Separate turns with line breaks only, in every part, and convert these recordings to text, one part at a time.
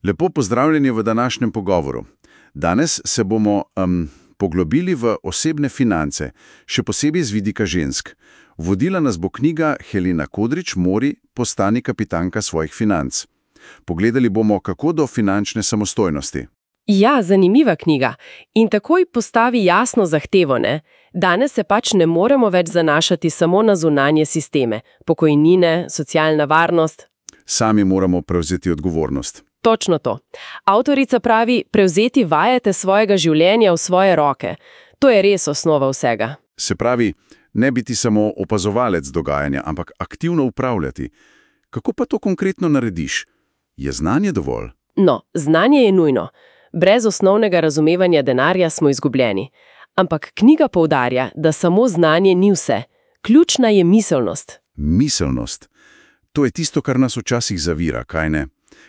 Lepo pozdravljeni v današnjem pogovoru. Danes se bomo poglobili v osebne finance, še posebej z vidika žensk. Vodila nas bo knjiga Helena Kodrič Mori, Postani kapitanka svojih financ. Pogledali bomo, kako do finančne samostojnosti.
Ja, zanimiva knjiga. In takoj postavi jasno zahtevo, ne? Danes se pač ne moremo več zanašati samo na zunanje sisteme, pokojnine, socialna varnost.
Sami moramo prevzeti odgovornost.
Točno to. Avtorica pravi, prevzeti vajete svojega življenja v svoje roke. To je res osnova vsega.
Se pravi, ne biti samo opazovalec dogajanja, ampak aktivno upravljati. Kako pa to konkretno narediš? Je znanje dovolj?
No, znanje je nujno. Brez osnovnega razumevanja denarja smo izgubljeni. Ampak knjiga poudarja, da samo znanje ni vse. Ključna je miselnost.
Miselnost. To je tisto, kar nas včasih zavira, kaj ne?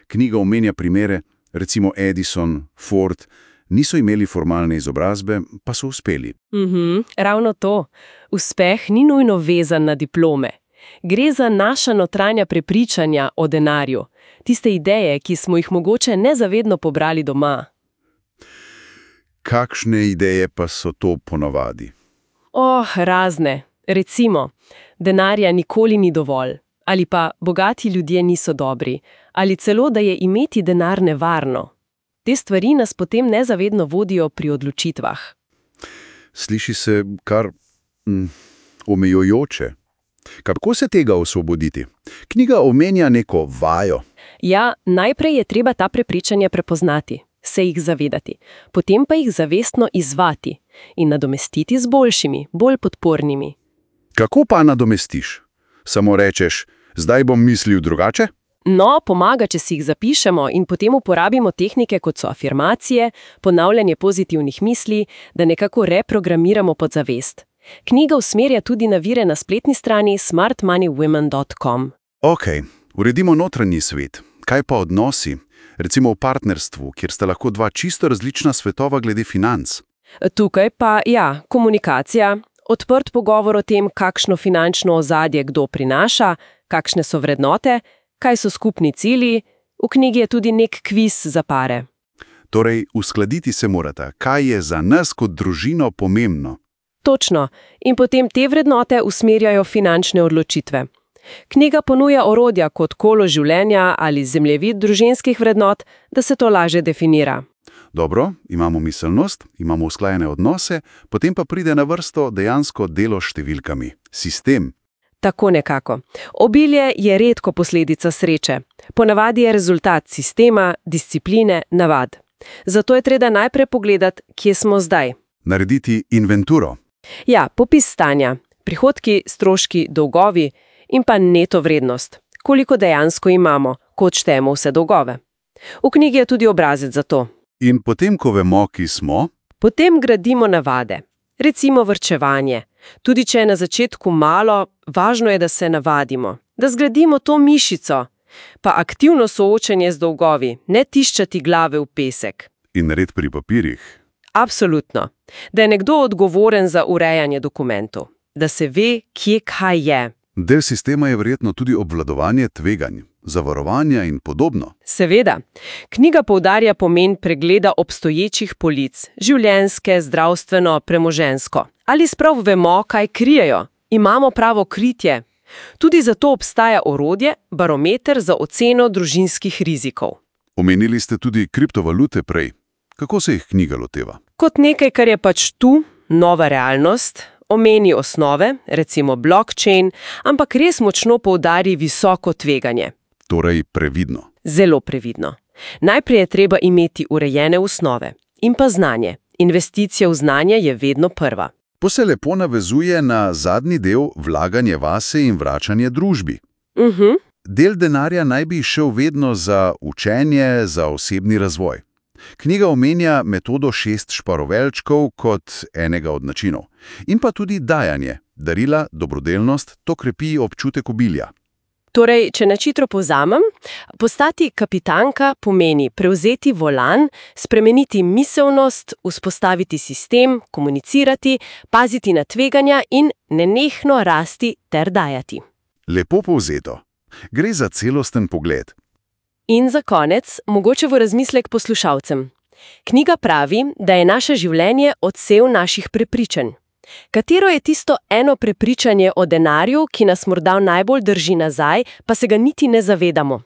Knjiga omenja primere, recimo Edison, Ford, niso imeli formalne izobrazbe, pa so uspeli.
Ravno to. Uspeh ni nujno vezan na diplome. Gre za naša notranja prepričanja o denarju. Tiste ideje, ki smo jih mogoče nezavedno pobrali doma.
Kakšne ideje pa so to ponavadi?
Razne. Recimo, denarja nikoli ni dovolj. Ali pa bogati ljudje niso dobri. Ali celo, da je imeti denar nevarno. Te stvari nas potem nezavedno vodijo pri odločitvah.
Sliši se kar omejujoče. Kako se tega osvoboditi? Knjiga omenja neko vajo.
Ja, najprej je treba ta prepričanja prepoznati, se jih zavedati, potem pa jih zavestno izvati in nadomestiti z boljšimi, bolj podpornimi.
Kako pa nadomestiš? Samo rečeš, zdaj bom mislil drugače?
No, pomaga, če si jih zapišemo in potem uporabimo tehnike, kot so afirmacije, ponavljanje pozitivnih misli, da nekako reprogramiramo podzavest. Knjiga usmerja tudi na vire na spletni strani smartmoneywomen.com.
Uredimo notranji svet. Kaj pa odnosi? Recimo v partnerstvu, kjer sta lahko dva čisto različna svetova glede financ.
Tukaj pa, komunikacija, odprt pogovor o tem, kakšno finančno ozadje kdo prinaša, kakšne so vrednote, kaj so skupni cilji. V knjigi je tudi nek kviz za pare.
Torej, uskladiti se morata, kaj je za nas kot družino pomembno.
Točno. In potem te vrednote usmerjajo finančne odločitve. Knjiga ponuja orodja kot kolo življenja ali zemljevid družinskih vrednot, da se to lažje definira.
Dobro, imamo miselnost, imamo usklajene odnose, potem pa pride na vrsto dejansko delo s številkami. Sistem.
Tako nekako. Obilje je redko posledica sreče. Ponavadi je rezultat sistema, discipline, navad. Zato je treba najprej pogledati, kje smo zdaj.
Narediti inventuro.
Ja, popis stanja, prihodki, stroški, dolgovi in pa neto vrednost. Koliko dejansko imamo, ko odštejemo vse dolgove. V knjigi je tudi obrazec za to.
In potem, ko vemo, ki smo?
Potem gradimo navade. Recimo varčevanje. Tudi če je na začetku malo, važno je, da se navadimo. Da zgradimo to mišico. Pa aktivno soočenje z dolgovi, ne tiščati glave v pesek.
In red pri papirjih.
Absolutno. Da je nekdo odgovoren za urejanje dokumentov. Da se ve, kje kaj je.
Del sistema je verjetno tudi obvladovanje tveganj, zavarovanja in podobno.
Seveda. Knjiga poudarja pomen pregleda obstoječih polic, življenjske, zdravstveno, premoženjsko. Ali sprav vemo, kaj krijejo? Imamo pravo kritje? Tudi zato obstaja orodje, barometer za oceno družinskih rizikov.
Omenili ste tudi kriptovalute prej. Kako se jih knjiga loteva?
Kot nekaj, kar je pač tu, nova realnost, omeni osnove, recimo blockchain, ampak res močno poudari visoko tveganje.
Torej previdno.
Zelo previdno. Najprej je treba imeti urejene osnove in pa znanje. Investicija v znanje je vedno prva.
To se lepo navezuje na zadnji del vlaganje vase in vračanje družbi. Del denarja naj bi šel vedno za učenje, za osebni razvoj. Knjiga omenja metodo 6 šparovelčkov kot enega od načinov. In pa tudi dajanje, darila, dobrodelnost, to krepi občutek obilja.
Torej, če načitro povzamem, postati kapitanka pomeni prevzeti volan, spremeniti miselnost, vzpostaviti sistem, komunicirati, paziti na tveganja in nenehno rasti ter dajati.
Lepo povzeto. Gre za celosten pogled.
In za konec, mogoče v razmislek poslušalcem. Knjiga pravi, da je naše življenje odsev naših prepričanj. Katero je tisto eno prepričanje o denarju, ki nas morda najbolj drži nazaj, pa se ga niti ne zavedamo?